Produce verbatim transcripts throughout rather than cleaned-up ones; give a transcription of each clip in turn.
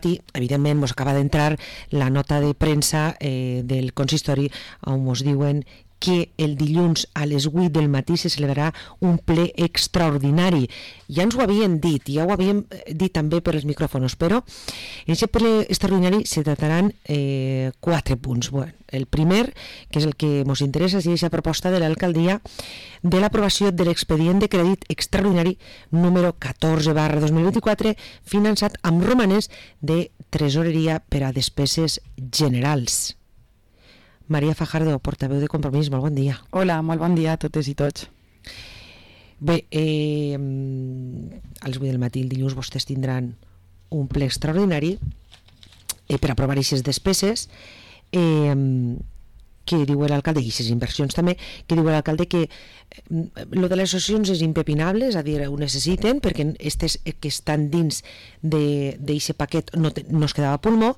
evidentment ens acaba d'entrar la nota de premsa eh, del consistori on ens diuen que el dilluns a les vuit del matí se celebrarà un ple extraordinari. Ja ens ho havien dit, ja ho havíem dit també per els micròfons, però en aquest ple extraordinari se trataran eh, quatre punts. Bueno, el primer, que és el que ens interessa, és aquesta proposta de l'alcaldia de l'aprovació de l'expedient de crèdit extraordinari número catorze barra dos mil vint-i-quatre, finançat amb romanents de tresoreria per a despeses generals. Maria Fajardo, portaveu de Compromís, molt bon dia. Hola, molt bon dia a totes i tots. Bé, eh, a les vuit del matí el dilluns vostès tindran un ple extraordinari eh, per aprovar aquestes despeses eh, que diu l'alcalde, i aquestes inversions també, que diu l'alcalde que eh, lo de les associacions és impepinable, és a dir, ho necessiten perquè aquestes que estan dins d'aquest paquet no, te, no es quedava a pulmó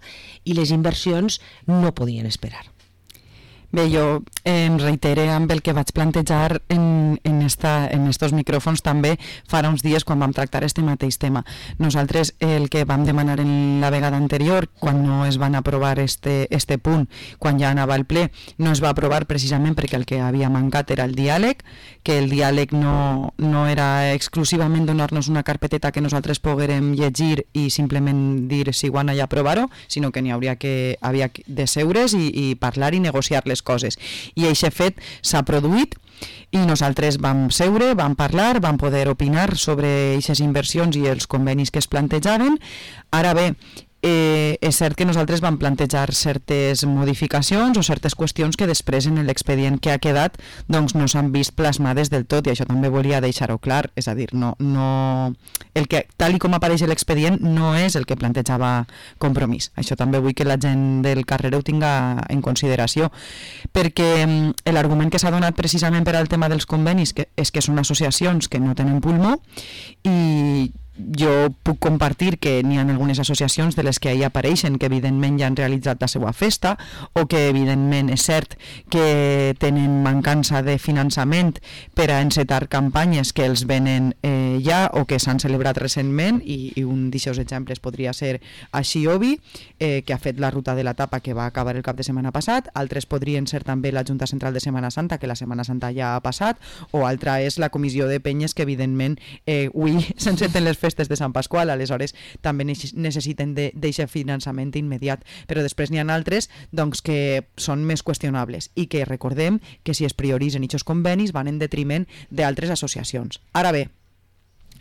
i les inversions no podien esperar. Bé, jo eh, em reitere amb el que vaig plantejar en, en, esta, en estos micròfons també farà uns dies quan vam tractar este mateix tema. Nosaltres el que vam demanar en la vegada anterior, quan no es van aprovar este, este punt, quan ja anava al ple, no es va aprovar precisament perquè el que havia mancat era el diàleg, que el diàleg no, no era exclusivament donar-nos una carpeteta que nosaltres poguérem llegir i simplement dir si guana i aprovar-ho, sinó que n'hi hauria que, havia de seure's i, i parlar i negociar les coses. I aquest fet s'ha produït i nosaltres vam seure, vam parlar, vam poder opinar sobre aquestes inversions i els convenis que es plantejaven. Ara bé, Eh, és cert que nosaltres vam plantejar certes modificacions o certes qüestions que després en l'expedient que ha quedat doncs no s'han vist plasmades del tot, i això també volia deixar-ho clar, és a dir, no, no, el que, tal i com apareix l'expedient no és el que plantejava Compromís. Això també vull que la gent del carrer ho tinga en consideració, perquè l'argument que s'ha donat precisament per al tema dels convenis que és que són associacions que no tenen pulmó, i jo puc compartir que n'hi ha algunes associacions de les que ahir apareixen que evidentment ja han realitzat la seva festa o que evidentment és cert que tenen mancança de finançament per a encetar campanyes que els venen eh, ja o que s'han celebrat recentment, i, i un d'aquests exemples podria ser així Obi, eh, que ha fet la ruta de la tapa que va acabar el cap de setmana passat. Altres podrien ser també la Junta Central de Setmana Santa, que la Setmana Santa ja ha passat, o altra és la Comissió de Penyes, que evidentment eh, avui s'enceten les festes de Sant Pasqual, aleshores també necessiten d'aquest finançament immediat, però després n'hi ha altres doncs, que són més qüestionables i que recordem que si es prioritzen aquests convenis van en detriment d'altres associacions. Ara bé,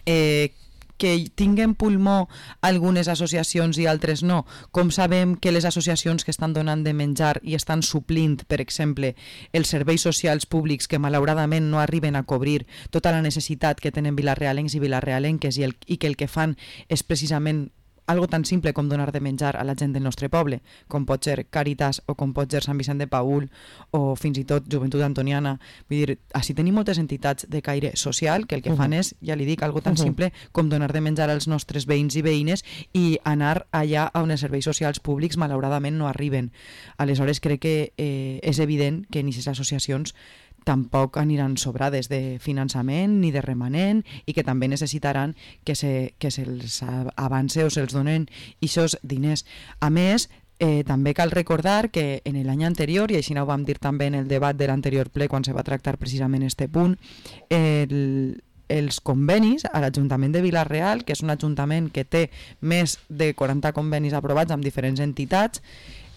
eh, que tinguen pulmó algunes associacions i altres no. Com sabem que les associacions que estan donant de menjar i estan suplint, per exemple, els serveis socials públics que malauradament no arriben a cobrir tota la necessitat que tenen vilarealencs i vilarealenques i, el, i que el que fan és precisament algo tan simple com donar de menjar a la gent del nostre poble, com pot ser Càritas o com pot ser Sant Vicent de Paül o fins i tot Joventut Antoniana. Vull dir, així tenim moltes entitats de caire social que el que fan és, ja li dic, algo tan simple com donar de menjar als nostres veïns i veïnes i anar allà on els serveis socials públics malauradament no arriben. Aleshores crec que eh, és evident que en aquestes associacions tampoc aniran sobrades de finançament ni de remanent i que també necessitaran que, se, que se'ls avance o se'ls donen aquests diners. A més, eh, també cal recordar que en l'any anterior, i així ho vam dir també en el debat de l'anterior ple quan se va tractar precisament este punt, el, els convenis a l'Ajuntament de Vila-real, que és un ajuntament que té més de quaranta convenis aprovats amb diferents entitats,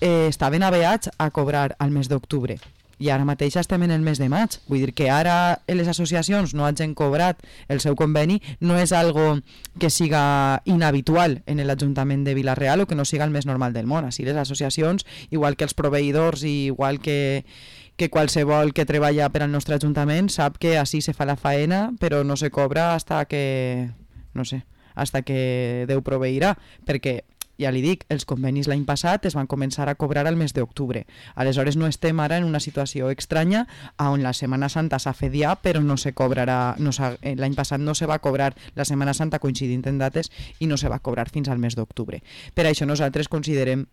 eh, estaven aveats a cobrar al mes d'octubre. I ara mateix estem en el mes de maig. Vull dir que ara les associacions no hagin cobrat el seu conveni no és algo que siga inhabitual en l'Ajuntament de Vila-real o que no siga el més normal del món. Així les associacions, igual que els proveïdors i igual que, que qualsevol que treballa per al nostre Ajuntament, sap que així se fa la faena però no se cobra hasta que, no sé, hasta que Déu proveirà, perquè ja li dic, els convenis l'any passat es van començar a cobrar al mes d'octubre. Aleshores no estem ara en una situació estranya on la Setmana Santa s'ha fet ja, però no se cobrarà, no l'any passat no se va cobrar la Setmana Santa coincidint en dates i no se va cobrar fins al mes d'octubre. Per això nosaltres considerem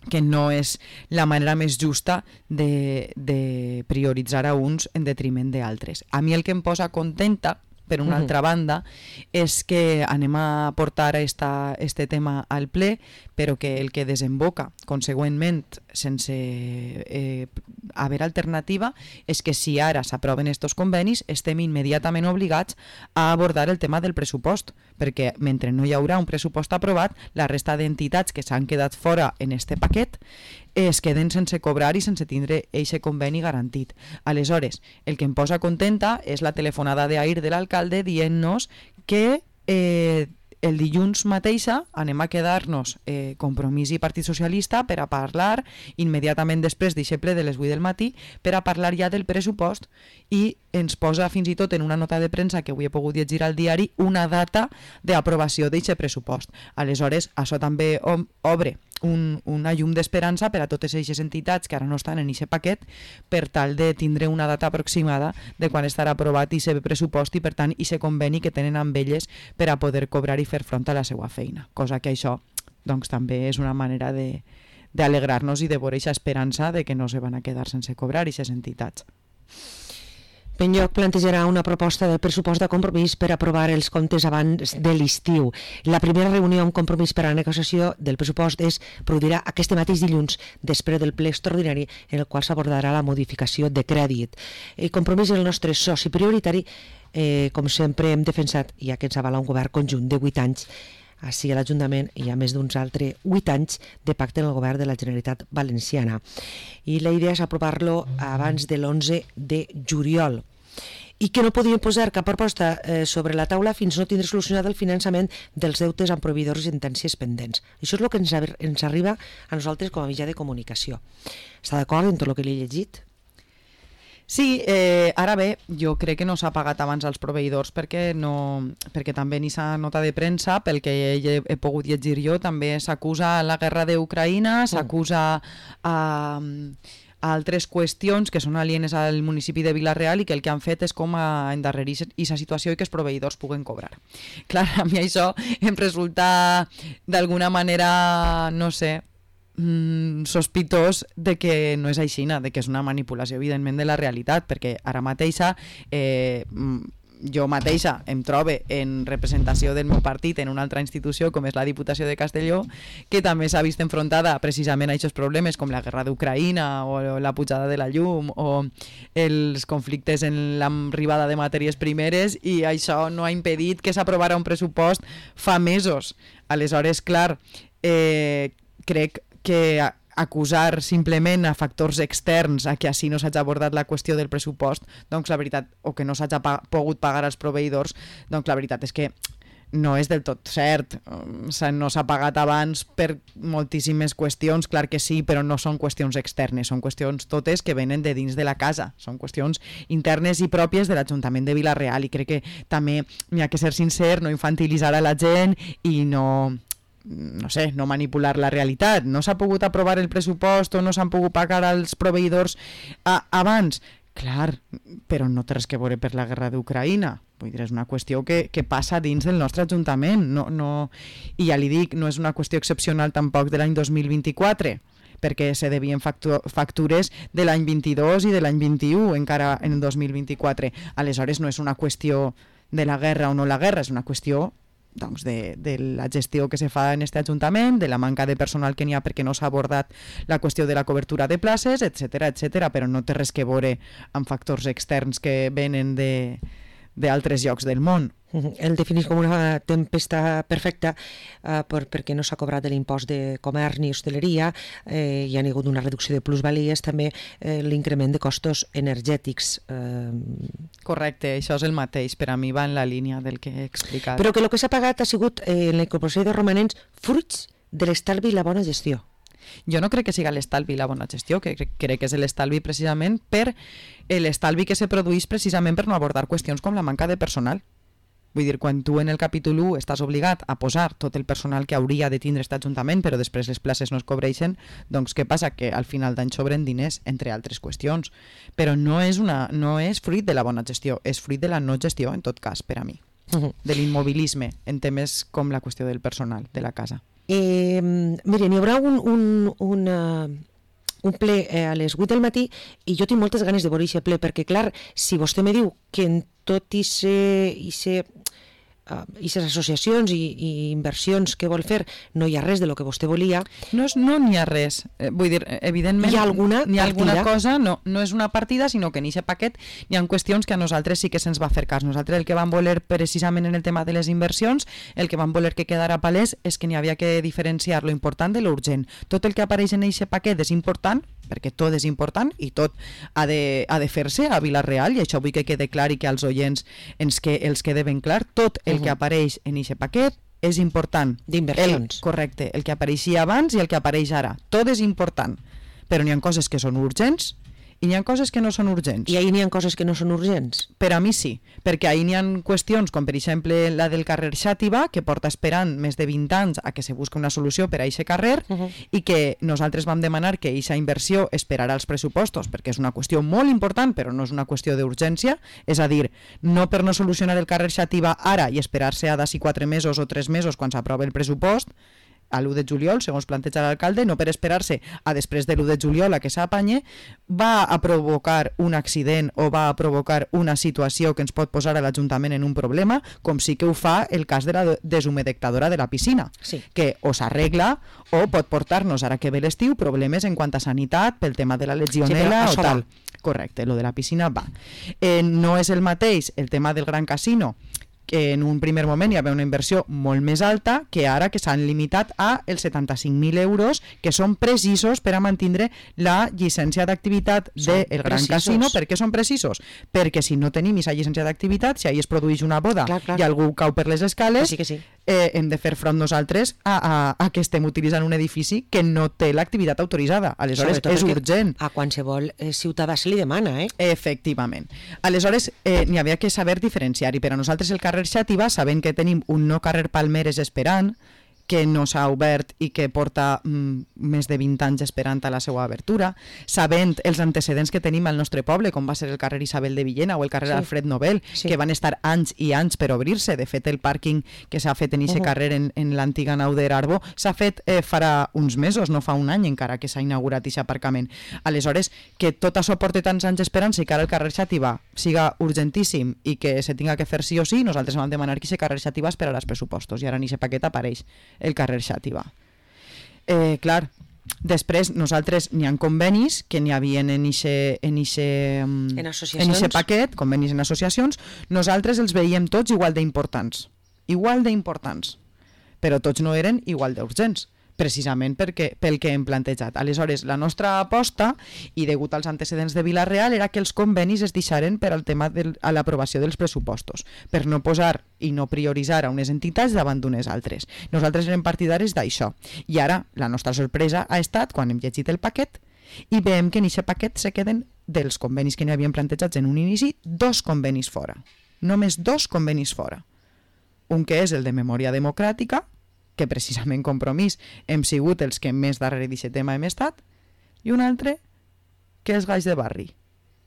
que no és la manera més justa de, de prioritzar a uns en detriment d'altres. A mi el que em posa contenta per una uh-huh. altra banda, és que anem a portar esta, este tema al ple, però que el que desemboca, consegüentment, sense eh, haver alternativa, és que si ara s'aproven estos convenis, estem immediatament obligats a abordar el tema del pressupost, perquè mentre no hi haurà un pressupost aprovat, la resta d'entitats que s'han quedat fora en este paquet es queden sense cobrar i sense tindre eixe conveni garantit. Aleshores, el que em posa contenta és la telefonada d'ahir de l'alcalde dient-nos que eh, el dilluns mateixa anem a quedar-nos eh, Compromís i Partit Socialista per a parlar immediatament després d'eixe ple de les vuit del matí per a parlar ja del pressupost i ens posa fins i tot en una nota de premsa que avui he pogut llegir al diari una data d'aprovació d'eixe pressupost. Aleshores, això també obre un, una llum d'esperança per a totes aquestes entitats que ara no estan en aquest paquet per tal de tindre una data aproximada de quan estarà aprovat aquest pressupost i per tant aquest conveni que tenen amb elles per a poder cobrar i fer front a la seva feina, cosa que això doncs, també és una manera de d'alegrar-nos i de veure aquesta esperança de que no se van a quedar sense cobrar aquestes entitats. Penyoc plantejarà una proposta del pressupost de Compromís per aprovar els comptes abans de l'estiu. La primera reunió amb Compromís per a la negociació del pressupost es produirà aquest mateix dilluns després del ple extraordinari en el qual s'abordarà la modificació de crèdit. El Compromís és el nostre soci prioritari, eh, com sempre hem defensat, ja que ens avala un govern conjunt de vuit anys, així a l'Ajuntament hi ha més d'uns altres vuit anys de pacte en el govern de la Generalitat Valenciana. I la idea és aprovar-lo abans de l'onze de juliol. I que no podien posar cap proposta eh, sobre la taula fins no tindre solucionat el finançament dels deutes amb proveïdors i sentències pendents. Això és el que ens, ens arriba a nosaltres com a mitjà de comunicació. Està d'acord en tot el que li he llegit? Sí, eh, ara bé, jo crec que no s'ha pagat abans als proveïdors perquè, no, perquè també ni s'ha nota de premsa, pel que he, he pogut llegir jo, també s'acusa la guerra d'Ucraïna, s'acusa a... a altres qüestions que són alienes al municipi de Vila-real i que el que han fet és com a endarrerir aquesta situació i que els proveïdors puguen cobrar. Clar, a mi això em resulta d'alguna manera, no sé, mm, sospitós de que no és aixina, de que és una manipulació evidentment de la realitat, perquè ara mateixa eh, jo mateixa em trobe en representació del meu partit en una altra institució com és la Diputació de Castelló, que també s'ha vist enfrontada precisament a aquests problemes com la guerra d'Ucraïna o la pujada de la llum o els conflictes en l'arribada de matèries primeres, i això no ha impedit que s'aprovara un pressupost fa mesos. Aleshores, clar, eh, crec que acusar simplement a factors externs a que així no s'hagi abordat la qüestió del pressupost, doncs la veritat, o que no s'hagi pa- pogut pagar als proveïdors, doncs la veritat és que no és del tot cert. No s'ha pagat abans per moltíssimes qüestions, clar que sí, però no són qüestions externes, són qüestions totes que venen de dins de la casa, són qüestions internes i pròpies de l'Ajuntament de Vila-real, i crec que també n'hi ha que ser sincer, no infantilitzar a la gent i no... no sé, no manipular la realitat. No s'ha pogut aprovar el pressupost o no s'han pogut pagar als proveïdors a, abans? Clar, però no té res que veure per la guerra d'Ucraïna. Vull dir, és una qüestió que, que passa dins del nostre Ajuntament. No, no, I ja li dic, no és una qüestió excepcional tampoc de l'any dos mil vint-i-quatre, perquè se devien factu- factures de l'any vint-i-dos i de l'any vint-i-u, encara en el dos mil vint-i-quatre. Aleshores, no és una qüestió de la guerra o no la guerra, és una qüestió doncs, de, de la gestió que se fa en este Ajuntament, de la manca de personal que n'hi ha perquè no s'ha abordat la qüestió de la cobertura de places, etcètera, etcètera, però no té res que veure amb factors externs que venen de d'altres llocs del món. El definís com una tempesta perfecta eh, per, perquè no s'ha cobrat l'impost de comerç ni hostaleria, eh, hi ha hagut una reducció de plusvalies, també eh, l'increment de costos energètics. Eh... Correcte, això és el mateix, per a mi va en la línia del que he explicat. Però que el que s'ha pagat ha sigut eh, en la incorporació de romanents fruits de l'estalvi i la bona gestió. Jo no crec que siga l'estalvi la bona gestió, que crec, crec que és l'estalvi precisament per l'estalvi que se produeix precisament per no abordar qüestions com la manca de personal. Vull dir, quan tu en el capítol u estàs obligat a posar tot el personal que hauria de tindre aquest Ajuntament, però després les places no es cobreixen, doncs què passa? Que al final d'any sobren diners, entre altres qüestions. Però no és, una, no és fruit de la bona gestió, és fruit de la no gestió, en tot cas, per a mi. Uh-huh. De l'immobilisme, en temes com la qüestió del personal de la casa. Eh, miren, hi haurà un, un, una, un ple eh, a les vuit del matí i jo tinc moltes ganes de veure aquest ple, perquè clar, si vostè me diu que en tot i ser... i les associacions i, i inversions que vol fer no hi ha res de lo que vostè volia. No, és, no n'hi ha res, eh, vull dir, evidentment hi ha alguna, hi ha alguna cosa, no, no és una partida, sinó que en aquest paquet hi ha qüestions que a nosaltres sí que se'ns va fer cas. Nosaltres el que vam voler precisament en el tema de les inversions, el que vam voler que quedara palès és que n'hi havia que diferenciar lo important de lo urgent. Tot el que apareix en aquest paquet és important, perquè tot és important i tot ha de, ha de fer-se a Vila-real, i això vull que quede clar i que als oients ens que, els quede ben clar. Tot el que apareix en aquest paquet és important. D'inversions. Correcte, el que apareixia abans i el que apareix ara. Tot és important, però n'hi ha coses que són urgents i n'hi ha coses que no són urgents. I ahir n'hi ha coses que no són urgents? Per a mi sí, perquè ahir n'hi ha qüestions com per exemple la del carrer Xàtiva, que porta esperant més de vint anys a que se busqui una solució per a aquest carrer, uh -huh. i que nosaltres vam demanar que aquesta inversió esperarà els pressupostos, perquè és una qüestió molt important, però no és una qüestió d'urgència, és a dir, no per no solucionar el carrer Xàtiva ara i esperar-se a d'ací quatre mesos o tres mesos quan s'aprova el pressupost, a l'u de juliol, segons planteja l'alcalde, no per esperar-se a després de l'u de juliol a que s'apanye, va a provocar un accident o va a provocar una situació que ens pot posar a l'Ajuntament en un problema, com sí que ho fa el cas de la deshumedectadora de la piscina, sí. que o s'arregla o pot portar-nos, ara que ve l'estiu, problemes en quant a sanitat, pel tema de la legionela sí, o tal. Correcte, lo de la piscina va. Eh, no és el mateix el tema del Gran Casino, que en un primer moment hi havia una inversió molt més alta, que ara que s'han limitat a els setanta-cinc mil euros, que són precisos per a mantenir la llicència d'activitat del Gran precisos. Casino. Per què són precisos? Perquè si no tenim aquesta llicència d'activitat, si ahir es produeix una boda clar, clar. i algú cau per les escales, que sí, que sí. Eh, hem de fer front nosaltres a, a, a que estem utilitzant un edifici que no té l'activitat autoritzada. Aleshores, sobretot és urgent. A qualsevol eh, ciutadà se li demana, eh? Efectivament. Aleshores, eh, n'hi havia que saber diferenciar, i per a nosaltres el carrer Xàtiva, sabent que tenim un nou carrer Palmeres esperant, que no s'ha obert i que porta mm, més de vint anys esperant a la seva obertura, sabent els antecedents que tenim al nostre poble, com va ser el carrer Isabel de Villena o el carrer sí. Alfred Nobel, sí. que van estar anys i anys per obrir-se. De fet, el pàrquing que s'ha fet en aquest uh -huh. carrer en, en l'antiga nau d'Erarbo s'ha fet eh, farà uns mesos, no fa un any encara que s'ha inaugurat aquest aparcament. Aleshores, que tot això porta tants anys esperant i que ara el carrer Xàtiva siga urgentíssim i que se tinga que fer sí o sí, nosaltres vam demanar que aquest carrer Xàtiva esperarà els pressupostos, i ara en aquest paquet apareix el carrer Xàtiva. Eh, clar, després nosaltres n'hi ha convenis que n'hi havia en ixe, en ixe, en en ixe paquet, convenis en associacions, nosaltres els veiem tots igual d'importants, igual d'importants, però tots no eren igual d'urgents, precisament perquè, pel que hem plantejat. Aleshores, la nostra aposta, i degut als antecedents de Vila-real, era que els convenis es deixaren per al tema de l'aprovació dels pressupostos, per no posar i no prioritzar a unes entitats davant d'unes altres. Nosaltres érem partidaris d'això. I ara, la nostra sorpresa ha estat quan hem llegit el paquet i veiem que en aquest paquet se queden, dels convenis que n'hi havien plantejats en un inici, dos convenis fora. Només dos convenis fora. Un que és el de memòria democràtica, que precisament Compromís hem sigut els que més darrere d'aquest tema hem estat, i un altre que és Gaix de Barri,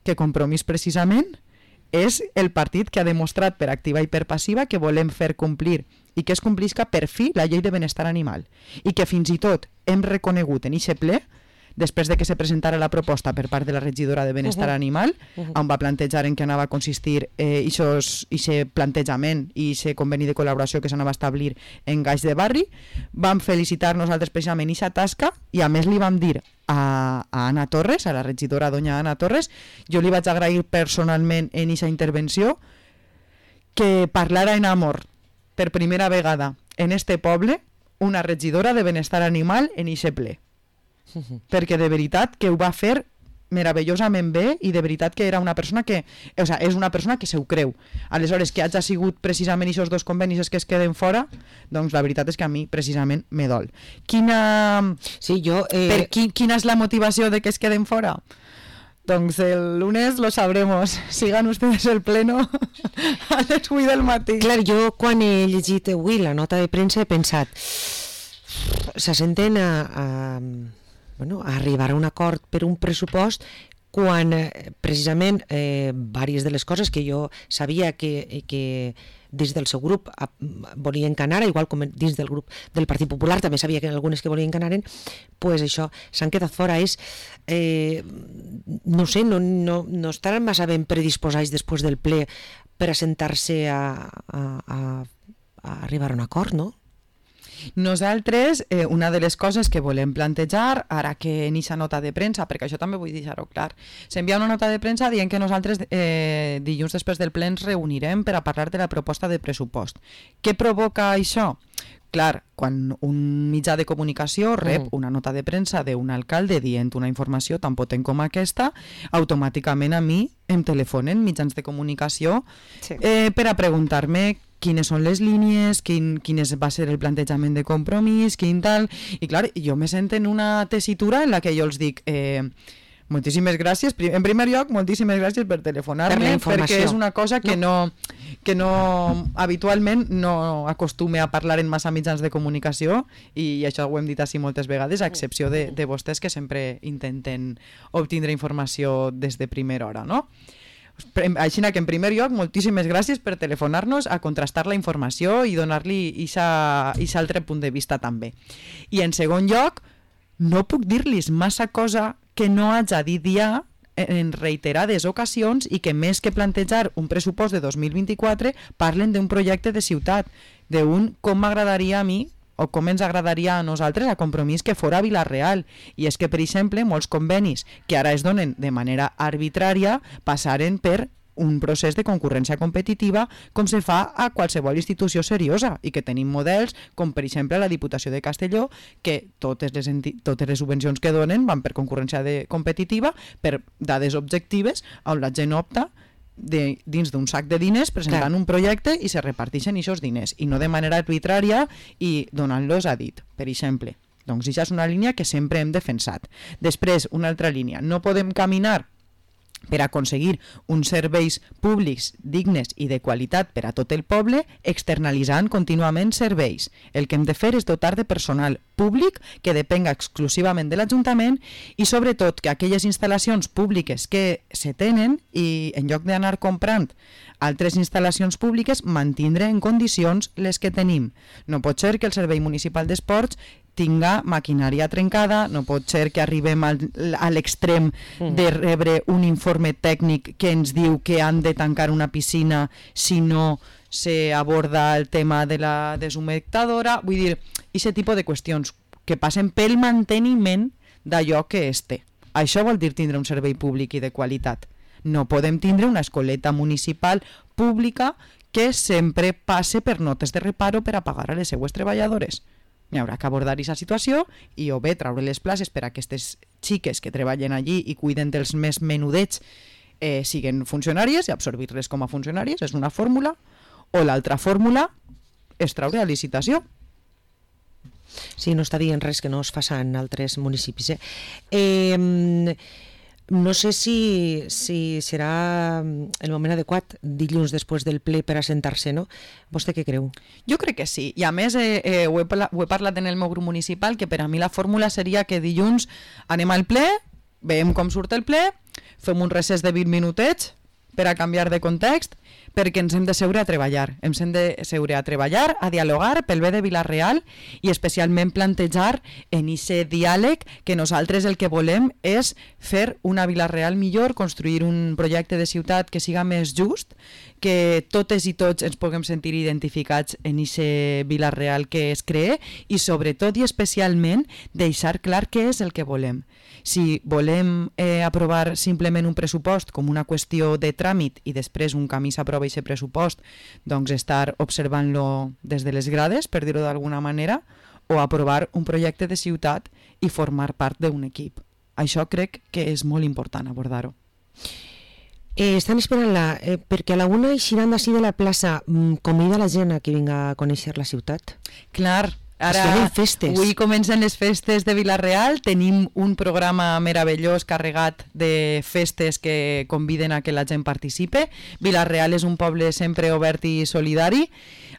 que Compromís precisament és el partit que ha demostrat per activa i per passiva que volem fer complir i que es complisca per fi la llei de benestar animal, i que fins i tot hem reconegut en aquest ple, després de que se presentara la proposta per part de la regidora de Benestar uh -huh. Animal, uh -huh. on va plantejar en què anava a consistir aquest eh, plantejament i aquest conveni de col·laboració que s'anava a establir en Gaix de Barri, vam felicitar nosaltres precisament aquesta tasca, i a més li vam dir a, a Anna Torres, a la regidora doña Anna Torres, jo li vaig agrair personalment en aquesta intervenció que parlara en amor per primera vegada en este poble una regidora de Benestar Animal en aquest ple. Perquè de veritat que ho va fer meravellosament bé, i de veritat que era una persona que, o sea, és una persona que se ho creu. Aleshores, que hagi sigut precisament aquests dos convenis que es queden fora, doncs la veritat és que a mi precisament me dol. Quina, sí, jo, eh... per qui, quina és la motivació de que es queden fora? Doncs el lunes lo sabremos. Sigan ustedes el pleno a les vuit del matí. Clar, jo quan he llegit avui la nota de premsa he pensat, se senten a... a... Bueno, a arribar a un acord per un pressupost quan eh, precisament eh, diverses de les coses que jo sabia que, que dins del seu grup volien que anara, igual com dins del grup del Partit Popular també sabia que algunes que volien que anaren, pues això, s'han quedat fora. És, eh, no sé, no, no, no estaran massa ben predisposats després del ple per assentar-se a, a, a, a arribar a un acord, no? Nosaltres, eh, una de les coses que volem plantejar, ara que en aquesta nota de premsa, perquè això també vull deixar-ho clar, s'envia una nota de premsa dient que nosaltres eh, dilluns després del ple ens reunirem per a parlar de la proposta de pressupost. Què provoca això? Clar, quan un mitjà de comunicació rep una nota de premsa d'un alcalde dient una informació tan potent com aquesta, automàticament a mi em telefonen mitjans de comunicació sí. eh, per a preguntar-me quines són les línies, quin, quin va ser el plantejament de compromís, quin tal... I clar, jo me sento en una tessitura en la que jo els dic... Eh, moltíssimes gràcies. En primer lloc, moltíssimes gràcies per telefonar-me, per perquè és una cosa que no, que no habitualment no acostume a parlar en massa mitjans de comunicació i això ho hem dit així moltes vegades, a excepció de, de vostès que sempre intenten obtindre informació des de primera hora, no? Així que en primer lloc, moltíssimes gràcies per telefonar-nos a contrastar la informació i donar-li aquest altre punt de vista també. I en segon lloc, no puc dir-los massa cosa que no haig dit ja en reiterades ocasions i que més que plantejar un pressupost de dos mil vint-i-quatre parlen d'un projecte de ciutat, d'un com m'agradaria a mi o com ens agradaria a nosaltres a Compromís que fora a Vila-real. I és que, per exemple, molts convenis que ara es donen de manera arbitrària passaren per un procés de concurrència competitiva com se fa a qualsevol institució seriosa i que tenim models com per exemple la Diputació de Castelló que totes les, totes les subvencions que donen van per concurrència de competitiva per dades objectives on la gent opta de, dins d'un sac de diners presentant Clar. un projecte i se reparteixen aquests diners i no de manera arbitrària i donant-los a dit, per exemple. Doncs això és una línia que sempre hem defensat. Després, una altra línia, no podem caminar per aconseguir uns serveis públics dignes i de qualitat per a tot el poble, externalitzant contínuament serveis. El que hem de fer és dotar de personal públic que depenga exclusivament de l'Ajuntament i sobretot que aquelles instal·lacions públiques que se tenen i en lloc d'anar comprant altres instal·lacions públiques mantindre en condicions les que tenim. No pot ser que el Servei Municipal d'Esports tinga maquinària trencada, no pot ser que arribem al, a l'extrem de rebre un informe tècnic que ens diu que han de tancar una piscina si no se aborda el tema de la deshumectadora. Vull dir, aquest tipus de qüestions que passen pel manteniment d'allò que es té. Això vol dir tindre un servei públic i de qualitat. No podem tindre una escoleta municipal pública que sempre passe per notes de reparo per a pagar a les seues treballadores. Hi haurà que abordar aquesta situació i o bé traure les places per a aquestes xiques que treballen allí i cuiden dels més menudets eh, siguen funcionàries i absorbir-les com a funcionàries, és una fórmula, o l'altra fórmula és traure a licitació. Sí, no està dient res que no es faça en altres municipis. Eh? Eh, no sé si, si serà el moment adequat dilluns després del ple per assentar-se, no? Vostè què creu? Jo crec que sí, i a més eh, eh, ho, he parlat, ho he parlat en el meu grup municipal, que per a mi la fórmula seria que dilluns anem al ple, veiem com surt el ple, fem un recés de vint minutets per a canviar de context, perquè ens hem de seure a treballar. Ens hem de seure a treballar, a dialogar pel bé de Vila-real i especialment plantejar en aquest diàleg que nosaltres el que volem és fer una Vila-real millor, construir un projecte de ciutat que siga més just, que totes i tots ens puguem sentir identificats en aquest Vila-real que es cree i sobretot i especialment deixar clar què és el que volem. Si volem eh, aprovar simplement un pressupost com una qüestió de tràmit i després un camí s'aprova aquest pressupost, doncs estar observant-lo des de les grades, per dir-ho d'alguna manera, o aprovar un projecte de ciutat i formar part d'un equip. Això crec que és molt important abordar-ho. Eh, estan esperant-la, eh, perquè a la una eixiran d'ací de la plaça, convida la gent a que vinga a conèixer la ciutat. Clar, ara avui comencen les festes de Vila-real, tenim un programa meravellós carregat de festes que conviden a que la gent participe. Vila-real és un poble sempre obert i solidari.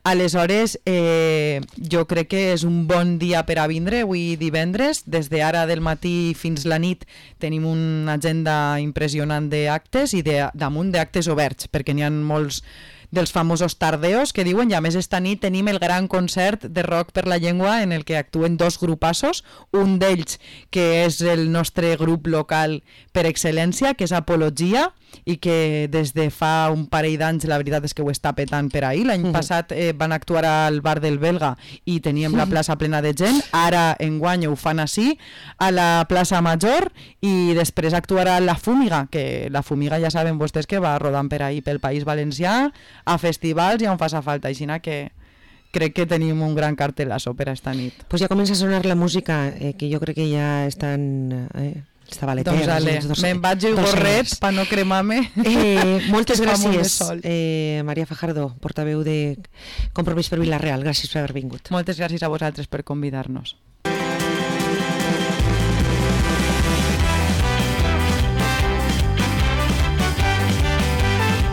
Aleshores, eh, jo crec que és un bon dia per a vindre, avui divendres. Des d'ara del matí fins la nit tenim una agenda impressionant d'actes i de, damunt d'actes oberts, perquè n'hi ha molts dels famosos tardeos que diuen, i a més esta nit tenim el gran concert de Rock per la Llengua en el que actuen dos grupassos, un d'ells que és el nostre grup local per excel·lència, que és Apologia, i que des de fa un parell d'anys la veritat és que ho està petant per ahir. L'any mm. passat eh, van actuar al bar del Belga i teníem la plaça plena de gent, ara enguany ho fan així a la plaça Major, i després actuarà la Fúmiga, que la Fúmiga ja saben vostès que va rodant per ahir pel País Valencià a festivals i on faça falta, així que crec que tenim un gran cartelazo per a esta nit. Pues ja comença a sonar la música, eh, que jo crec que ja estan... Eh... Doncs ale, me'n vaig i gorret per no cremar-me. Eh, moltes gràcies, eh, Maria Fajardo, portaveu de Compromís per Vila-real. Gràcies per haver vingut. Moltes gràcies a vosaltres per convidar-nos.